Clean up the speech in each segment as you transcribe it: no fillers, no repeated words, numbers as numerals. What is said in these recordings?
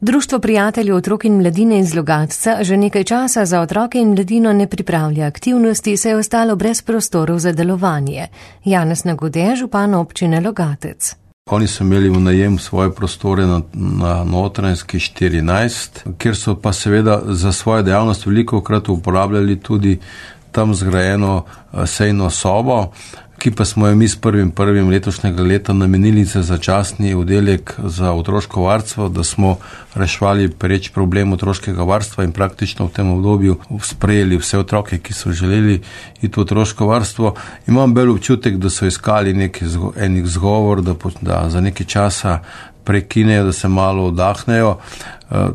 Društvo prijateljev otrok in mladine iz Logatca že nekaj časa za otroke in mladino ne pripravlja aktivnosti, saj je ostalo brez prostorov za delovanje. Janez Nagode, župan občine Logatec. Oni so imeli v najem svoje prostore na Notranjski 14, kjer so pa seveda za svojo dejavnost velikokrat uporabljali tudi tam zgrajeno sejno sobo, ki pa smo jo mi s 1.1. letošnjega leta namenili za začasni oddelek za otroško varstvo, da smo reševali pereč problem otroškega varstva in praktično v tem obdobju sprejeli vse otroke, ki so želeli iti v otroško varstvo. Imam bolj občutek, da so iskali enih zgovor, da za nekaj časa prekinejo, da se malo oddahnejo.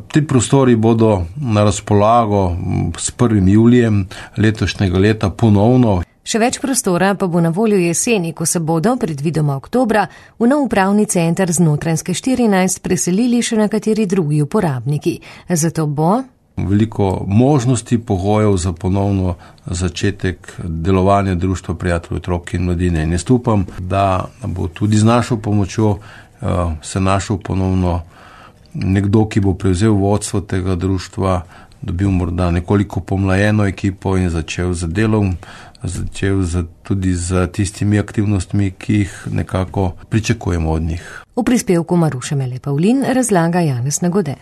Ti prostori bodo na razpolago s 1. julijem letošnjega leta ponovno. Še več prostora pa bo na voljo jeseni, ko se bodo, predvidoma oktobra, v nov upravni center z Notranjske 14 preselili še nekateri drugi uporabniki. Zato bo veliko možnosti, pogojev za ponovno začetek delovanja Društva prijateljev otrok in mladine. In jaz upam, da bo tudi z našo pomočjo se našel ponovno nekdo, ki bo prevzel vodstvo tega društva, dobil morda nekoliko pomlajeno ekipo in začel z delom, tudi z tistimi aktivnostmi, ki jih nekako pričakujemo od njih. V prispevku Maruše Mele Pavlin razlaga Janez Nagode.